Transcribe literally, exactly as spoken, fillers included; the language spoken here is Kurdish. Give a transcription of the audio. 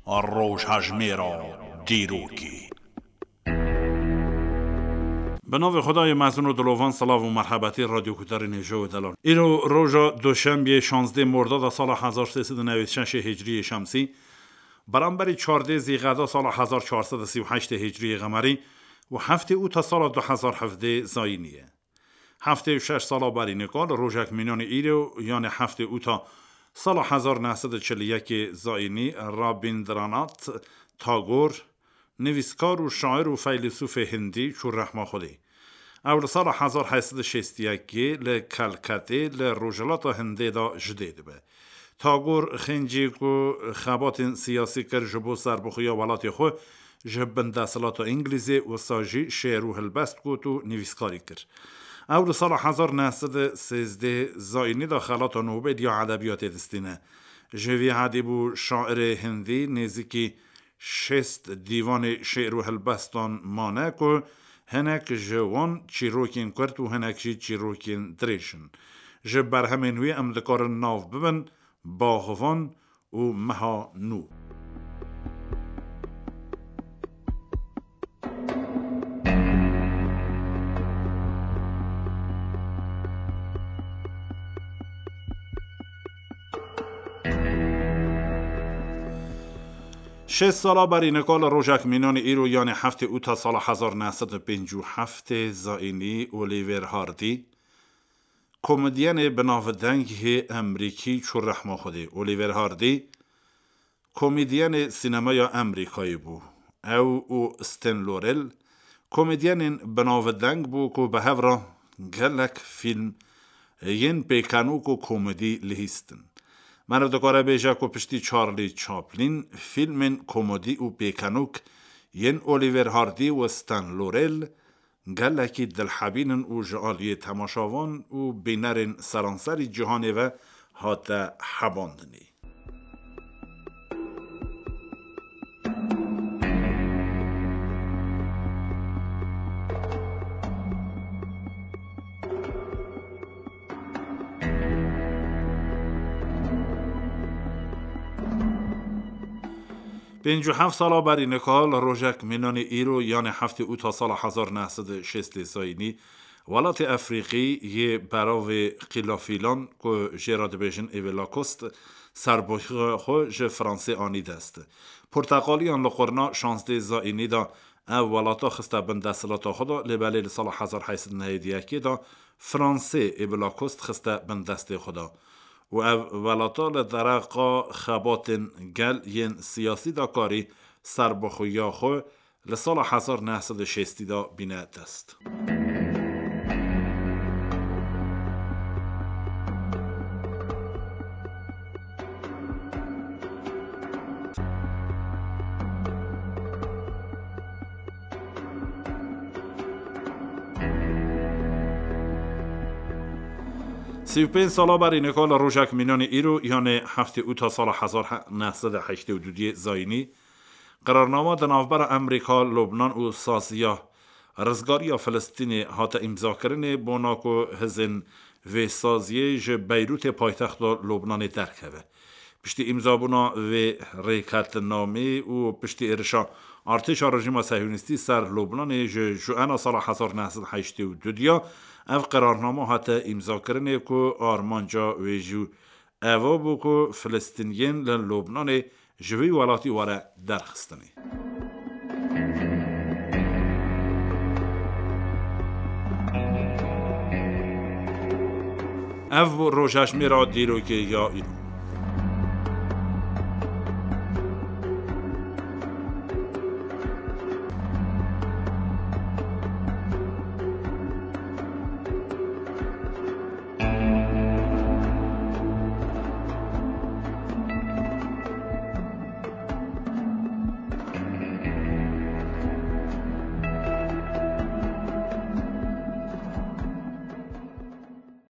Rojhejmêra dîrokê. Bi navê Xwedayê mezin û dilovan, silav û merhebetî radyoguhdarên hêja û delan. Îro roja Duşembiyê şazdeh Mordada sala hezar sê sed û newêd şeşê Hicriyê Şemsî, beramberî çardeh Zîqeda sala hezar çar sed û sî û heştê Hicriyê Qemerî û heftê Ûta sala du hezar hevdeh Zayînî ye. Heftê û şeş sala berî nika li rojek mînanê îro, yanê heftê Ûta sala hezar neh sed û çil û yekê Zayînî, Rabîndranath Tagor, nivîskar û şair û feylesûfê hindî çû rehma Xwedê. Ew li sala hezar heşt sed û şêst û yekê li Kelketê li rojhilata Hindê de ji dê dibe. Tagor xêncî ku xebatên siyasî kir ji bo serbixweya welatê xwe ji bin desthilata Îngilîzê, wisa jî şêr û helbest got û nivîskarî kir. Ew li sala hezar neh sed û sêzdeh Zayînî de xelata Nobel ya edebiyatê distîne. Ji vî hadî bû şairê hindî nêzîkî şêst dîvanê şêr û helbestan mane ku hinek ji wan çîrokên kurt û hinek jî çîrokên dirêj in. Ji berhemên wî em dikarin nav bibin Baxvan û Meha Nû. Şêst sala berî nika li rojek mînanê îro, yanê heftê Ûta sala hezar neh sed û pêncî û heftê Zayînî, Oliver Hardy, komedyenê bi navdeng hê Emrîkî çû rehma Xwedê. Oliver Hardy komedyenê sînemeya Emrîkayê bû. Ew û Stan Laurel komedyenên bi navdeng bû ku bi hev re gelek fîlm yên pêkenok û komedî lihîstin. Meriv dikare bêje ku piştî Charlie Chaplin, fîlmên komedî û pêkenok yên Oliver Hardy û Stan Laurel gelekî dilhebîn in û ji aliyê temaşevan û bînerên seranserî cîhanê ve hate hebandinê. Pêncî û heft sala berî nika li rojek mînanê îro, yanê heftê Ûta sala hezar neh sed û şêstê Zayînî, welatê Efrîqî yê beravê Qîlafîlan ku jê re dibêjin Ivory Coast, serbixweya xwe ji Fransê anî dest. Porteqaliyan li qurna şazdeh Zayînî de ev welata xiste bin desthilata xwe de, lê belê li sala hezar heşt sed û newêd û yekê de Fransê Ivory Coast xiste bin destê xwe de. Û ev welata li dereqa xebatên gel yên siyasî de karî serbixweya xwe li sala hezar neh sed û şêstî de bîne dest. Sî û pênc sala berî nika li rojek mînanê îro, yanê heftê Ûta sala hezar neh sed û heştê û du Zayînî, qerarnama di navbera Amerîka, Lubnan û Saziya Rizgariya Filistînê hate îmzakirinê, bona ku hizên vê saziyê ji Beyrûtê, paytexta Lubnanê, derkeve. Piştî îmzabûna vê rêkeftinameyê û piştî êrişa artêşa rejîma sehyonîstî ser Lubnanê ji Juena sala hezar neh sed heştê û du diya, ev qerarnama hate îmzakirinê ku armanca wê jî eva bû ku Filistîniyên li Lubnanê ji wî welatî were derxistinê. Ev bû rojhejmêra dîrokê ya îro.